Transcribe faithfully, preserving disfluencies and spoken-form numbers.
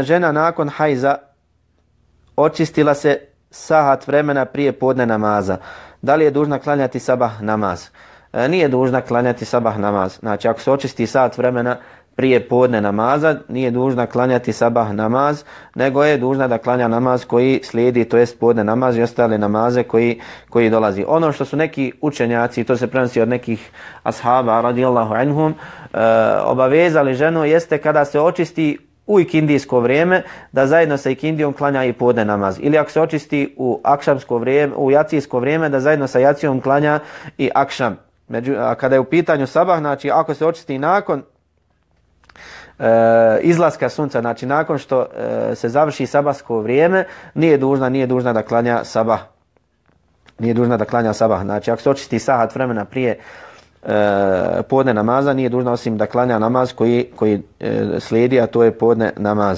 Žena nakon hajza očistila se sahat vremena prije podne namaza. Da li je dužna klanjati sabah namaz? E, nije dužna klanjati sabah namaz. Znači, ako se očisti sat vremena prije podne namaza, nije dužna klanjati sabah namaz, nego je dužna da klanja namaz koji slijedi, to jest podne namaz i ostale namaze koji, koji dolazi. Ono što su neki učenjaci, to se prenosi od nekih ashaba radijallahu anhum, e, obavezali ženu jeste kada se očisti u ikindijsko vrijeme, da zajedno sa ikindijom klanja i podne namaz. Ili ako se očisti u akšamsko vrijeme, u jacijsko vrijeme, da zajedno sa jacijom klanja i akšam. Među, a kada je u pitanju sabah, znači ako se očisti nakon e, izlaska sunca, znači nakon što e, se završi sabahsko vrijeme, nije dužna, nije dužna da klanja sabah. Nije dužna da klanja sabah. Znači ako se očisti sahat vremena prije E, podne namaza, nije dužna osim da klanja namaz koji, koji e, slijedi, a to je podne namaz.